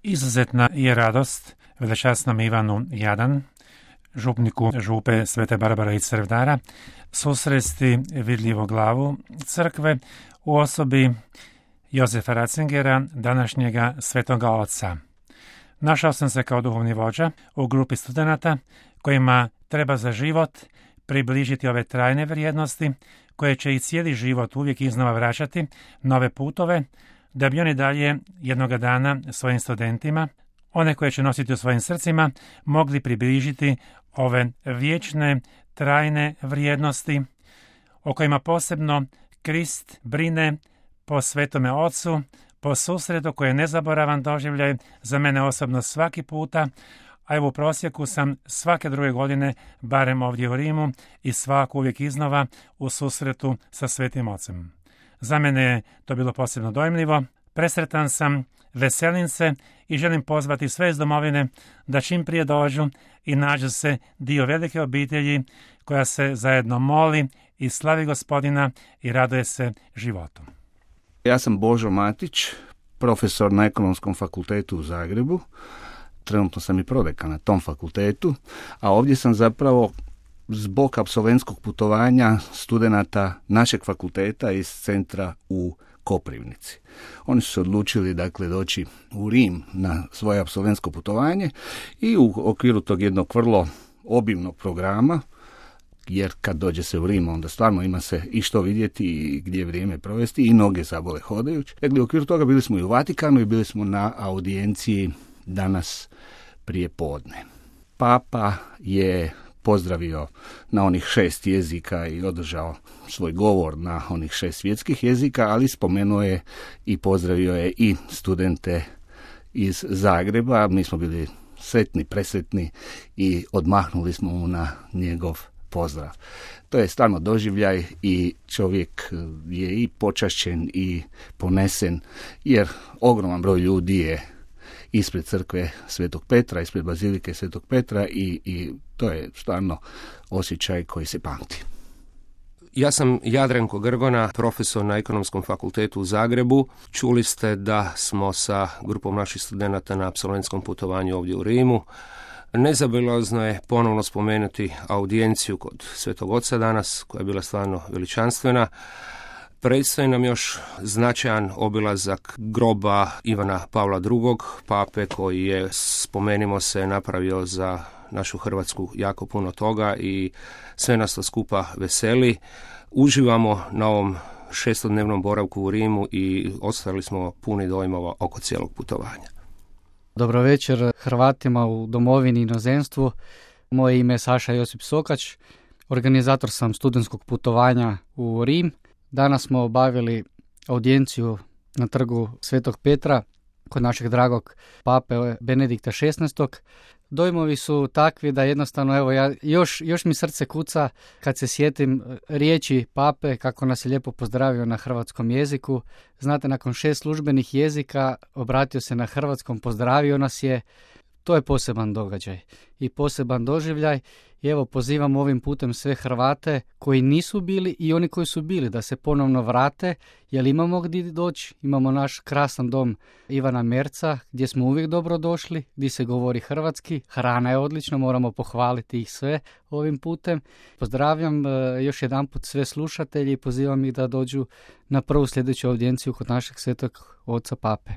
Izuzetna je radost velečasnom Ivanu Jadan, župniku župe Svete Barbare i Crvdara, susresti vidljivu glavu crkve u osobi Jozefa Ratzingera, današnjega svetoga oca. Našao sam se kao duhovni vođa u grupi studenata kojima treba za život približiti ove trajne vrijednosti koje će i cijeli život uvijek iznova vraćati nove putove, da bi oni dalje jednoga dana svojim studentima, one koje će nositi u svojim srcima, mogli približiti ove vječne, trajne vrijednosti o kojima posebno Krist brine po Svetome Ocu, po susretu koji je nezaboravan doživljaj za mene osobno svaki puta, a evo u prosjeku sam svake druge godine, barem ovdje u Rimu, i svako uvijek iznova u susretu sa Svetim Ocem. Za mene je to bilo posebno dojmljivo, presretan sam, veselim se i želim pozvati sve iz domovine da čim prije dođu i nađu se dio velike obitelji koja se zajedno moli i slavi Gospodina i raduje se životu. Ja sam Božo Matić, profesor na Ekonomskom fakultetu u Zagrebu. Trenutno sam i prodekan na tom fakultetu, a ovdje sam zapravo zbog apsolventskog putovanja studenata našeg fakulteta iz centra u Koprivnici. Oni su se odlučili doći u Rim na svoje apsolventsko putovanje i u okviru tog jednog vrlo obimnog programa, jer kad dođe se u Rim, onda stvarno ima se i što vidjeti i gdje vrijeme provesti i noge zabole hodajući. Dakle, u okviru toga bili smo i u Vatikanu i bili smo na audijenciji danas prije podne. Papa je pozdravio na onih 6 jezika i održao svoj govor na onih 6 svjetskih jezika, ali spomenuo je i pozdravio je i studente iz Zagreba. Mi smo bili sretni, presretni i odmahnuli smo mu na njegov pozdrav. To je stvarno doživljaj i čovjek je i počašćen i ponesen, jer ogroman broj ljudi je ispred crkve Svetog Petra, ispred bazilike Svetog Petra i to je stvarno osjećaj koji se pamti. Ja sam Jadranko Grgona, profesor na Ekonomskom fakultetu u Zagrebu. Čuli ste da smo sa grupom naših studenata na apsolventskom putovanju ovdje u Rimu. Nezabilazno je ponovno spomenuti audijenciju kod Svetog Oca danas, koja je bila stvarno veličanstvena. Predstoji nam još značajan obilazak groba Ivana Pavla II, pape koji je, spomenimo se, napravio za našu Hrvatsku jako puno toga i sve nas to skupa veseli. Uživamo na ovom 6-dnevnom boravku u Rimu i ostali smo puni dojmova oko cijelog putovanja. Dobro večer Hrvatima u domovini i inozemstvu. Moje ime je Saša Josip Sokač, organizator sam studentskog putovanja u Rim. Danas smo obavili audijenciju na trgu Svetog Petra kod našeg dragog pape Benedikta XVI. Dojmovi su takvi da jednostavno, evo, još mi srce kuca kad se sjetim riječi pape, kako nas je lijepo pozdravio na hrvatskom jeziku. Znate, nakon 6 službenih jezika obratio se na hrvatskom, pozdravio nas je. To je poseban događaj i poseban doživljaj. I evo, pozivam ovim putem sve Hrvate koji nisu bili i oni koji su bili da se ponovno vrate, jer imamo gdje doći. Imamo naš krasan dom Ivana Merca gdje smo uvijek dobro došli, gdje se govori hrvatski, hrana je odlična, moramo pohvaliti ih sve ovim putem. Pozdravljam još jedanput sve slušatelji i pozivam ih da dođu na prvu sljedeću audijenciju kod našeg Svetog Oca Pape.